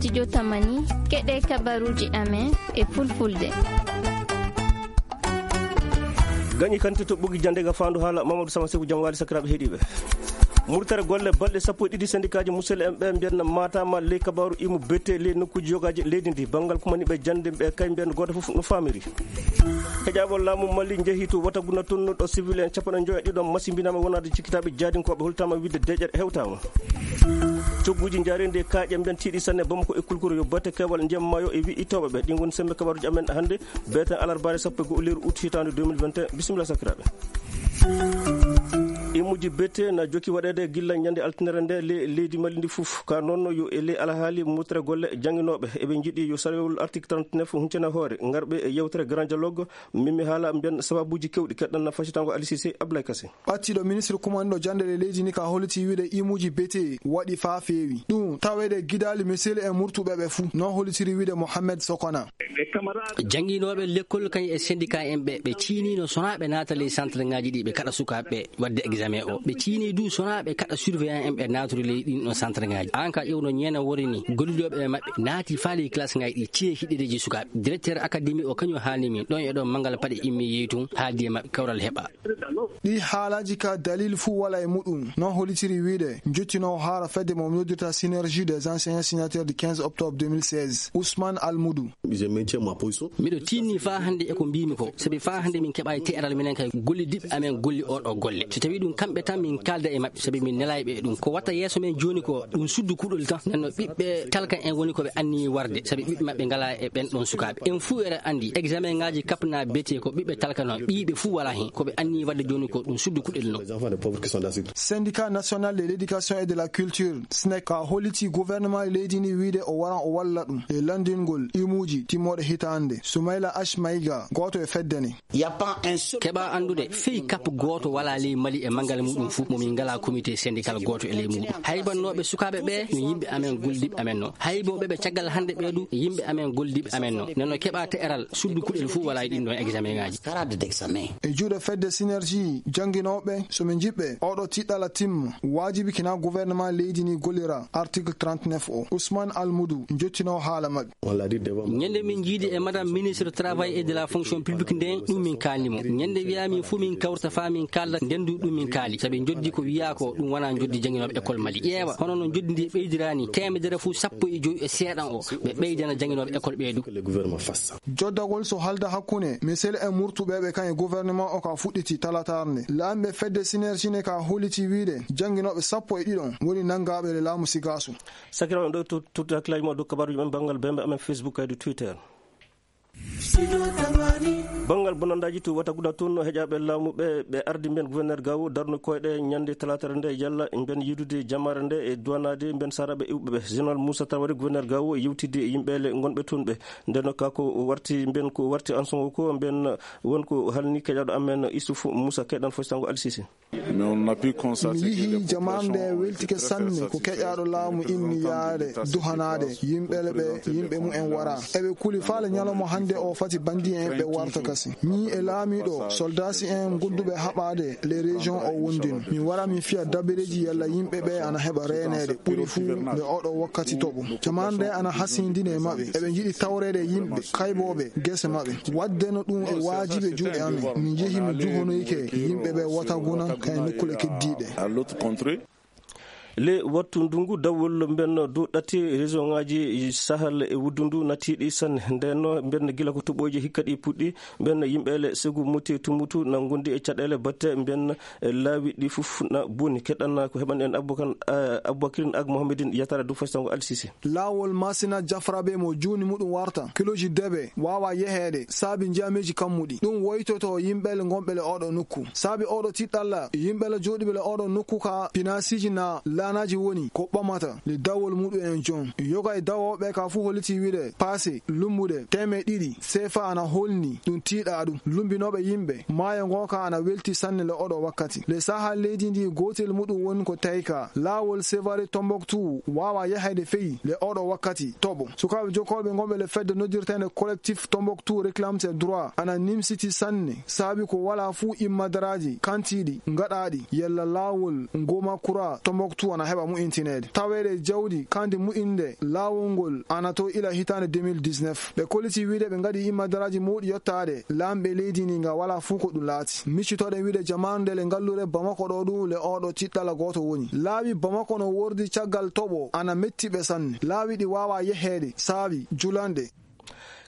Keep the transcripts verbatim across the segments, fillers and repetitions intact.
Studio Tamani, keɗe kabaruji amen e fulfulde. Gañi kanti to ɓogi jande ga fandu hala Mamadou Sama Seku, jam wali sakiraɓe heɗiɓe. Murtere golle balɗe sappo e ɗiɗi, sendikaji musel en ɓe mbiyan matama ley kabaru imu bete ley nokkuji yogaji leydi ndi. Bangal kumani ɓe jande ɓe kay mbiyan goto fof no famiri. Heƴaɓo laamu Mali njehi to Wataguna, toon ɗo civil en capanɗe njoyo e ɗiɗo masimbinama wonade cikkitaɓe jaadinkoɓe, holtama wiide deƴƴere hewtama. Cogguji njaareendi e kaaƴe mben tiiɗi sanne Bamako e Kulkuro yo batte keewal ndiyam maayo e wi'i tooɓe ɓe. Ɗi ngoni sembe kabaruji amen hannde, beeten alarbaare sappo e go'o lewru août hitaande deux mille vingt et un. Bisimilla sakiraaɓe. Imuji bete na jokki waɗeede gilla ñande altinere nde le-, leydi Mali ndi fof. Ka noon yo e ley alhaali murtere golle jannginooɓe. Eɓe njiɗi yo sarewol article trente-neuf huncana hoore. Ngarɓe e yewtere Grand Dialogue, min mi haala mbiyan sababuuji kewɗi. Keɗɗan na facitango Ali Cissé, Ablaye Kassé. Ɓattiiɗo ministre kumanɗo jannde e leydi ni ka holliti wiide imuuji bete waɗi faa feewi. Ɗum taweede gidaali misel e murtuɓe ɓe fuu, non hollitiri wiide Mohamed Sokona. Jannginooɓe lekkol kañ e syndicat en ɓe, ɓe ciiniino sonaa ɓe naata ley centre ŋaaji ɗi ɓe kaɗa sukaaɓe ɓe waɗde examen o. Ɓe ciinii du sonaa ɓe kaɗa surveillant en ɓe naatori ley ɗin ɗon centre ŋaaji. Aan ka ƴewno ñeena wori ni, gollidooɓe e maɓɓe naati faa ley classe ŋaaji ɗi, ciye hiɗireeji sukaaɓe. Directeur académie o kañum haalni min, ɗon e ɗon Manngal Paɗe immi yehi tun, haaldi e maɓɓe, kawral heɓa. Ɗi haalaaji ka dalil fuu walaa e muɗum, non hollitiri wiide njottinoowo haala fedde mo noddirta Synergie des enseignants signataires du quinze octobre deux mille seize, Ousmane Almoudou. Miɗo tiinnii faa hannde e ko mbiimi ko, sabi faa hannde min keɓaay te'eral minen kay gollidiiɓe amen golli oo ɗoo golle. So tawii ɗum kamɓe tan min kaalda e maɓɓe, sabi min nelaay ɓe e ɗum. Ko watta yeeso men jooni ko ɗum suddu kuɗol tan. Nden no ɓiɓɓe talka en woni ko ɓe anniyi warde, sabi ɓiɓɓe maɓɓe ngalaa e ɓen ɗon sukaaɓe. En fuu eɗen anndi examen ŋaaji kapnaa bete ko ɓiɓɓe talka non, ɓiyiiɓe fuu walaa hen. Ko ɓe anniyi waɗde jooni ko ɗum suddu kuɗel non. Syndicat national de l'éducation et de la culture, snec, ka holliti gouvernement leydi ndi wiide o waran o walla ɗum e lanndingol imuuji timmooɗe hitaande. Soumaila H Maïga, gooto e fedde nde. Keɓa anndude, fii kap gooto walaa ley Mali e manngal muɗum fuu mo min ngalaa comité syndical gooto e ley muɗum. Haybannooɓe sukaaɓe ɓe no yimɓe amen gollidiiɓe amen non. Haybooɓe ɓe caggal hannde ɓe du yimɓe amen gollidiiɓe amen non. Nden no keɓa te'eral suddu kuɗel fuu walaa e ɗin ɗon examen ŋaaji. E juuɗe fedde Synergie jannginooɓe, so min njiɗɓe oɗo tiɗɗala timma, waajibi kina gouvernement leydi ni gollira article trente-neuf o. Ousmane Almoudou, njottinoo haala maɓɓe. Ñande min njiidi e Madame Ministre Travail et de la Fonction Publique nden, ɗum min kaalni mo. Ñande wiyaa min fuu min kawrita faa min kaalda nden du ɗum min kaali. Sabi njoddi ko wiyaa ko ɗum wonaa njoddi jannginooɓe école Mali. Ƴeewa, hono no njoddi ndi ɓeydiraa ni, teemedere fuu sappo e jowi e seeɗan o, ɓe ɓeydana jannginooɓe école ɓe du. Joddagol so halda hakkunde misel e murtuɓe ɓe kan e gouvernement o ka fuɗɗiti talatar nde. Laamiiɓe fedde Synergie ne ka holliti wiide jannginooɓe sappo e ɗiɗon woni nanngaaɓe le laamu Sigaasu. Sakiraaɓe, ɗo to-, totti hakkillaaji mon dow kabaruuji men banngal bembe amen Facebook kaydi Twitter. Banngal bonandaaji to Wataguda toon, heƴaaɓe laamu ɓe, ɓe ardi mbiyen gouverneur Gawo darno koyɗe ñande talaata nde yalla mbiyen yiidude jamaare nde e duwanaade mbiyen saaraaɓe iwɓe ɓe. Général Moussa Traoré, gouverneur Gawo, yewtidde e yimɓe le ngonɓe toon ɓe. Nden no ka ko warti mbiyen ko warti anson o ko mbiyen won ko halni keƴaaɗo amen Issoufou Moussa, keɗan fostango Al Sisi. Mi yihii jamaare nde weltike sanne ko keƴaaɗo laamu inni yaade duhanaade yimɓe le ɓe yimɓe mumen wara. Eɓe kuli faale ñalawma hannde o fati bandi en ɓe warta kasi. Mi e laamiiɗo, soldaasi en godduɓe haɓaade les régions o wondin. Mi wara mi fiya dabareeji yalla yimɓe ɓe ana heɓa reeneede ɓuri fuu nde oɗo wakkati toɓo. Jamaare nde ana hasindini e maɓɓe. Eɓe njiɗi tawreede yimɓe kaybooɓe gese maɓɓe. Wadde no ɗum e waajibi e juuɗe amen. Mi njehi mi juhonoyike yimɓe ɓe Wataguna kay nokkule keddiiɗe. Le wattu ndungu dawol mben dow ɗatti région ngaji Sahel e wuddundu natiiɗi sanne. Nden no mben gila ko toɓoji hikka ɗi puɗɗi, mben yimɓe le segu muti tumutu na gondi e caɗele batte mben laawi ɗi fuf na boni. Keɗɗan ko heɓan en Aboubacar, eh, Aboubacrine ak Mohamedine Yatara dow fastango Al Sisi. Laawol Masina Jafrabe mo juuni muɗum warta kiloji debe waawa yeheede saabi njiyameeji kammuɗi. Ɗum woytoto yimɓe le ngonɓe le oɗo nokku. Saabi oɗo tiɗɗalla, yimɓe le jooɗiɓe le oɗo nokku ka pinaasiiji na laanaaji woni ko ɓamata le dawol muɗum en jon. Yoga e dawooɓe ka fuu holliti wiide paase lumbude teemeɗe ɗiɗi seefa ana holni ɗum tiiɗa ɗum. Lumbinooɓe yimɓe maayo ngo ka ana welti sanne le oɗo wakkati. Le saha leydi ndi gootel muɗum woni ko tawi ka laawol Sevare Tombouctou waawa yahayde feyi le oɗo wakkati toɓo. Sukaaɓe jokkooɓe ngonɓe le fedde noddirteende Collectif Tombouctou Réclame ses droits ana nimsiti sanne saabi ko walaa fuu immadaraaji kantiiɗi ngaɗaaɗi yalla laawol Ngomakura Tombouctou Ana heɓa mu'intineede. Taweede e jawdi kandi mu'inde laawol ngol ana to ila hitaande deux mille dix-neuf. Ɓe kolliti wiide ɓe ngaɗi immadaraaji mawɗi yottaade laamɓe leydi ndi nga walaa fuu ko ɗum laati. Miccitoɗen wiide jamaanu nde le ngallure Bamako ɗo ɗum le oɗo tiɗɗala gooto woni. Laawi Bamako no wordi caggal toɓo ana metti ɓe sanne. Laawi ɗi waawaa yeheede, saawi julanɗe.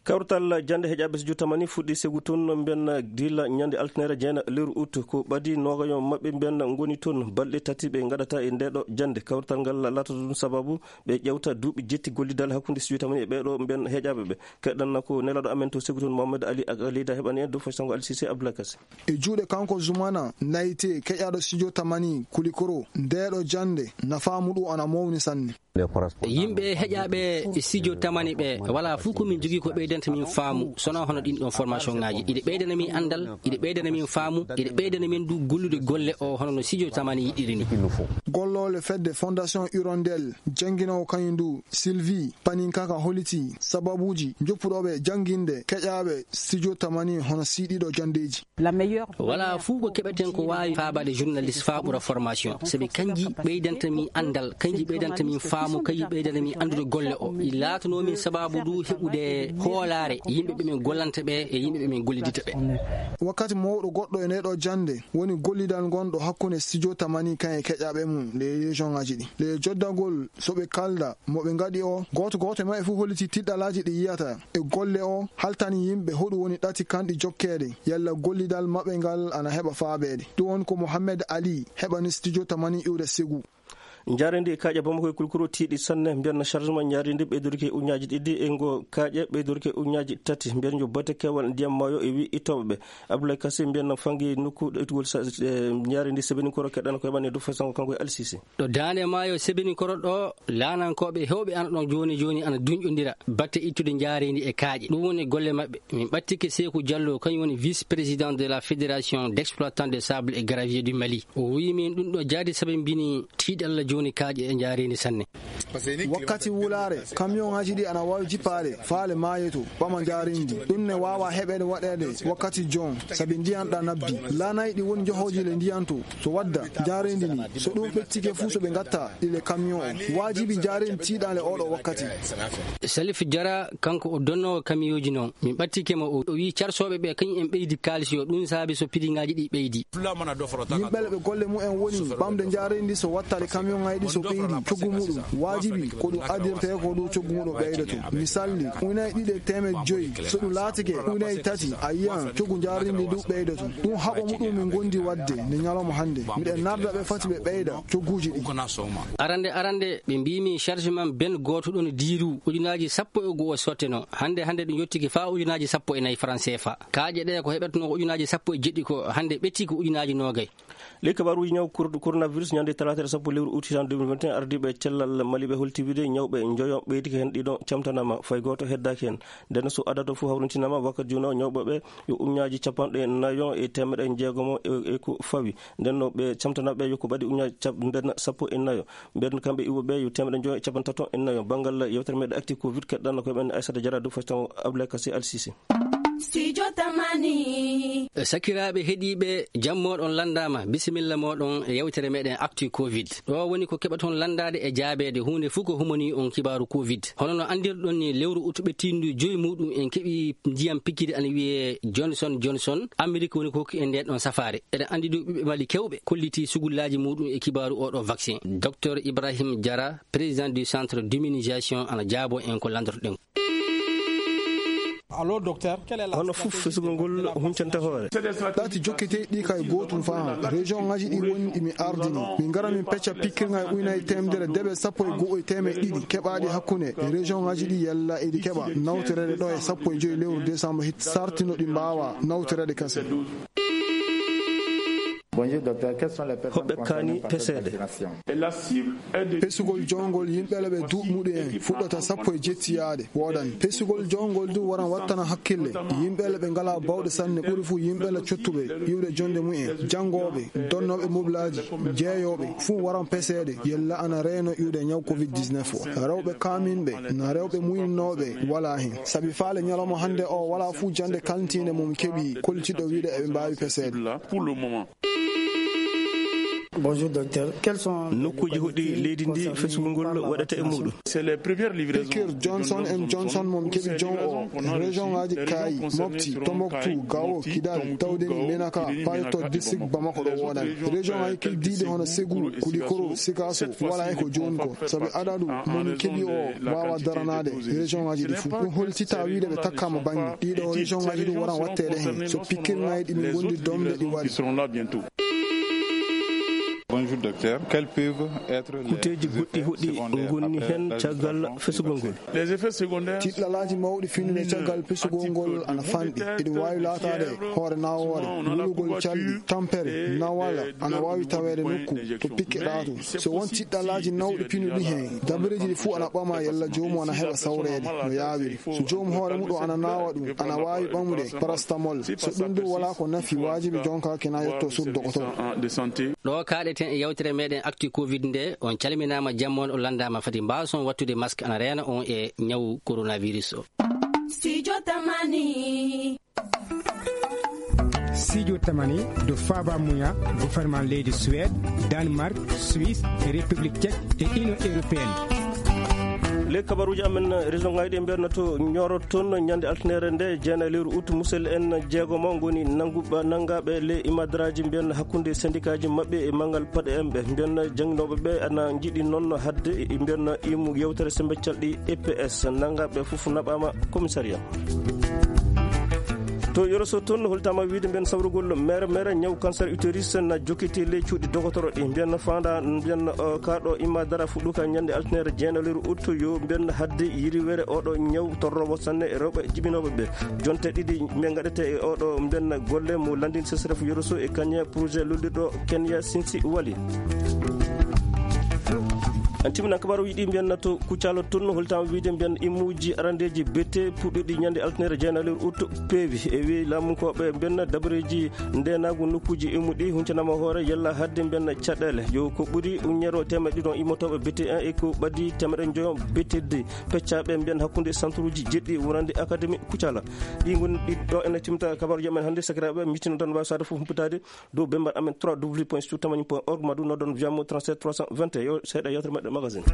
Kawrital jannde heƴaaɓe studio tamani fuɗɗi segu toon mbiyen gila ñande altine jeena lewru ut. Ko ɓadi noogayo maɓɓe mbiyen ngoni toon balɗe tati ɓe ngaɗata e ndeeɗo jannde. Kawrital ngal laatata ɗum sababu ɓe ƴewta duuɓi jetti gollidal hakkunde studio tamani e ɓeeɗo mbiyen heƴaaɓe ɓe. Keɗɗan ko nelaaɗo amen to segu toon Mohamed Ali Ak-, Leyda heɓani en dow fasango Alsise Abdoulaye Kassé. E juuɗe kanko Zumana Nayte, keƴaaɗo studio tamani Kulikoro, ndeeɗo jannde nafaamu ɗum ana mawni sanne. Yimɓe heƴaaɓe studio tamani ɓe, walaa fof ko min jogii ko ɓeydanta min faamu, sonaa hono ɗin ɗon formation ŋaaji. Iɗe ɓeydana min anndal, iɗe ɓeydana min faamu, iɗe ɓeydana min du gollude golle o hono no studio tamani yiɗiri ni. Golloole fedde Fondation Hirondelle, jannginoowo kañum du, Sylvie Paninkaka holiti sababuuji joppuɗo ɓe jannginde keƴaaɓe studio tamani hono siiɗiɗo janndeeji. Walaa fuu ko keɓeten ko waawi faabaade journaliste faa ɓura formation, sabi kanji ɓeydanta min anndal, kanji ɓeydanta min faamu, kanji ɓeydanta min anndude golle o. I laatanoo min sababu du heɓude hoolaare yimɓe ɓe min gollanta ɓe e yimɓe ɓe min gollidita ɓe. Wakkati mawɗo goɗɗo e ndeeɗo jannde woni gollidal ngonɗo hakkunde studio tamani kan e keƴaaɓe mum ley région ŋaaji ɗi. Ley joddagol so ɓe kalda mo ɓe ngaɗi o, gooto gooto e maɓɓe fof holliti tiɗɗalaaji ɗi yiyata e golle o, haltani yimɓe hoɗum woni ɗati kanɗi jokkeede, yalla gollidal maɓɓe ngal ana heɓa faabeede. Ɗum woni ko Mohamed Ali heɓani studio tamani iwde Ségou. Njaareendi e kaaƴe Bamako e Kulkuro tiiɗi sanne, mbiyan chargement njaareendi ɓeydorike ujunnaaji ɗiɗi e ngo kaaƴe ɓeydorike ujunnaaji tati, mbiyan yo bate keewal ndiyam maayo e wi ittooɓe ɓe. Abdoulaye Kassé mbiyan fangi nokku ɗo ittugol sa-, e njaareendi Sebeninkoro keɗɗan ko heɓani dow fasango kanko e Alsise. Ɗo daande maayo Sebeninkoro ɗo, laanankooɓe heewɓe ana ɗon jooni jooni ana duñƴondira batte ittude njaareendi e kaaƴe. Ɗum woni golle maɓɓe. Min ɓattike Seeku Jallo, kañum woni vice-président de la Fédération d'exploitants de sable et gravier du Mali. O wiyi min ɗum ɗo jaadi sabi mbini tiiɗalla jooni kaaƴe e njaareendi sanne. Wakkati wulaare, kamiyonŋaaji ɗi ana waawi jippaade faale maayo to, ɓama njaareendi. Ɗum ne waawa heɓeede waɗeede wakkati joon, sabi ndiyan ɗa nabbi. Laanayɗi woni njohooji le ndiyan to, so wadda njaareendi ndi. So ɗum ɓettike fuu so ɓe ngatta ɗi le kamiyon o. Waajibi njaareendi tiiɗan le oɗo wakkati. Salif Jara, kanko o donnoowo kamiyooji noon. Min ɓattike mo, o, o wiyi carsooɓe ɓe kañum en ɓeydi kaalis yo ɗum saabi so piriŋaaji ɗi ɓeydi. Yimɓe le ɓe golle mumen woni ɓamde njaareendi so wattaade kamiyonŋaaji ɗi so ɓeydi coggu muɗum. Waajibi ko ɗum addirtee ko ɗum coggu muɗum ɓeydoto. Misalli, ujunnaaji ɗiɗi e teemedde joyi. So ɗum laatike ujunnaaji tati, a yiyan coggu njaareendi ɗum ɓeydoto. Ɗum haɓo muɗum min ngondi waɗde nde ñalawma hannde. Miɗen narda ɓe fati ɓe ɓeyda cogguuji ɗi. Arande, arande, ɓe mbiimi chargement ben gooto ɗon diiru ujunnaaji sappo e go'o sotteno. Hannde, hannde ɗum yottike faa ujunnaaji sappo e nayi franc C F A. Kaaƴe ɗe ko heɓetenoo ko ujunnaaji sappo e jeɗɗi ko hannde ɓetti ko ujunnaaji noogay. Ley kabaaruuji ñaw kor-, coronavirus, ñande talaata sappo lewru ut hitan deux mille vingt et un, ardiiɓe cellal Mali ɓe holti wiide ñawɓe njoyo ɓeydike heen ɗiɗo camtanaama, fay gooto heddaaki heen. Nden so adadu fof hawrintinaama wakkati jooni o ñawɓe ɓe yo ujunnaaji capanɗe nayo e teemedde jeegomo e, e ko fawi. Nden no ɓe camtanaaɓe yo ko ɓadi ujunnaaji cap-, mbenna sappo e nayo. Mbeɗen kamɓe iwɓe ɓe yo teemedde njoyo e capanɗe tato e nayo. Banngal yewtere meɗen actu covid, keɗɗan ko men Aissata Diarra dow façon Abdoulaye Kassé Al Sisi. Studio Tamani. Sakiraaɓe heɗiiɓe, jam mooɗon lanndaama, bisimilla mooɗon e yewtere meɗen actu covid. Ɗo woni ko keɓaton lanndaade e jaabeede huunde fof ko humanii on kibaaru covid. Hono no anndirɗon ni, lewru ut ɓettiindu joyi muɗum en keɓi ndiyam pikiiri ana wiyee Johnson Johnson. Amerik woni ko hokki en ndeen ɗon safaare. Eɗen anndi du ɓiɓɓe Mali kewɓe kollitii sugullaaji muɗum e kibaaru oo ɗoo vaccin. Docteur Ibrahim Diarra, président du centre d'immunisation, ana jaabo en ko lanndortoɗen. Hono fof fesugol ngol huncanta hoore. Ɗati jokkete ɗi kay gootum faa. Région ŋaaji ɗi woni ɗi mi ardini. Min ngara min pecca pikkirŋa e ujunnaaji teemedere debe sappo e go'o e teemedde ɗiɗi keɓaaɗi hakkunde région ŋaaji ɗi yalla eɗi keɓa nawtoreede ɗo e sappo e joyi lewru décembre hit sartino ɗi mbaawa nawtoreede kasen. Hoɓɓe kaani peseede. Pesugol jowngol yimɓe le ɓe duuɓi muɗum en fuɗɗata sappo e jetti yaade woodan. Pesugol jowngol du waran wattana hakkille. Yimɓe le ɓe ngalaa bawɗe sanne ɓuri fuu yimɓe le cottuɓe iwde jonde mumen. Janngooɓe, donnooɓe mobilaaji, jeeyooɓe fuu waran peseede yalla ana reeno iwde ñaw covid dix-neuf o. Rewɓe kaaminɓe, na rewɓe muyinnooɓe walaa heen. Sabi faale ñalawma hannde o walaa fuu jannde kalntiinde mo mi keɓi kollitiiɗo wiide eɓe mbaawi peseede. Bonjour, docteur. Quels sont les nokkuuji hoɗɗi leydi ndi fesugol ngol waɗata e muɗum? Piqûre Johnson and Johnson mo mi keɓi jon o, région ngaji Kayi, Mopti, Tombouctou, Gao, Kidal, tawde ni Menaka, Payoto, district Bamako ɗo wonani. Région ngaji keldiɗi hono Ségou, Koulikoro, Sikasso, wala e ko joni ko. Sabi adadu mo mi keɓi o wawa daranade région ngaji ɗi fof. Ɗum holtita wiide ɓe takkama bangge. Ɗiɗo région ngaji ɗum waran wattede hen. So piqûre ngaji ɗi min gondi domde ɗi wari. Bonjour, docteur. Quels peuvent être les kuteeji goɗɗi hoɗɗi ngonni heen caggal fesugol ngol? Tiɗɗalaaji mawɗi finnude caggal pesugol ngol ana fanɗi. Eɗum waawi laataade hoore nawoore, wulugol calɗi, tampere, nawala, ana waawi taweede nokku to pikke ɗaatu. So won tiɗɗalaaji nawɗi pinnuɗi heen, dabareeji ɗi fuu ana ɓama yalla joomum ana heɓa sawreede no yaawiri. So joom hoore muɗum ana naawa ɗum, ana waawi ɓamude parastamol. So ɗum ɗum wala ko nafi, waajibi jonka kina yetto sur dogotor. Ɗo kaaɗeten e yewtere meɗen Actu Covid nde, on calminaama, jamma on, on lanndaama fati mbaason wattude masque ana reena on e ñawu coronavirus o. Studio Tamani. Studio Tamani do Faba Muya, gouvernement leydi Suède, Danemark, Suisse, République Tchèque et Union Européenne. Le kabaruji amen région ngaji ɗi mbiyatno to Nioro toon ñande altinere nde jeenayi lewru août, musel en jeegomo ngoni nanguɓe, nangaɓe le imadaraaji mbiyan hakkunde syndicatji maɓɓe e manngal paɗe en ɓe mbiyan jannginooɓe ɓe ana njiɗi noon hadde e mbiyan imu yewtere sembe calɗi E P S. Nangaɓe fof naɓama commissariat. To Yoro Sow toon holtama wiide mbiyan sawrugol mere mere ñaw cancer utérus na jokkiti le cuuɗi dogotoro ɗi mbiyan fanda mbiyan, uh, kaɗo imma dara fuɗɗuka ñande altinere jeenayi lewru août yo mbiyan hadde yiriwere oɗo ñaw torrowo sanne e rewɓe jibinooɓe ɓe. Jonte ɗiɗi mbiyan gaɗete e oɗo mbiyan golle mo landin sesref Yoro Sow e kañe projet lullirɗo Kenya Sinsi Wali. An timina kabaru yiɗi mbiyan na to Kuccalo toon holtama wiide mbiyan imuji arandeji bete puɗɗuɗi ñande altinere jeenayi lewru août peewi e wi lamunkoɓe mbiyan dabareji ndenagu nokkuji imuɗi huncanama hoore yalla hadde mbiyan caɗele yo ko ɓuri uñero temeɗɗe ɗiɗon immotoɓe bete en e ko ɓadi temeɗɗe joyon bete de peccaɓe mbiyan hakkunde centre uji jeɗɗi wonande académie Kuccala. Ɗi ngoni ɗi ɗo ene timta kabaruji amen hannde sakiraɓe mitino tan wawi sade fof humpitade dow bembar amen trois w point studio tamani point org ma ɗum noddon via mo trente-sept trois cent vingt et un yo seeɗa yewtere meɗen magazine.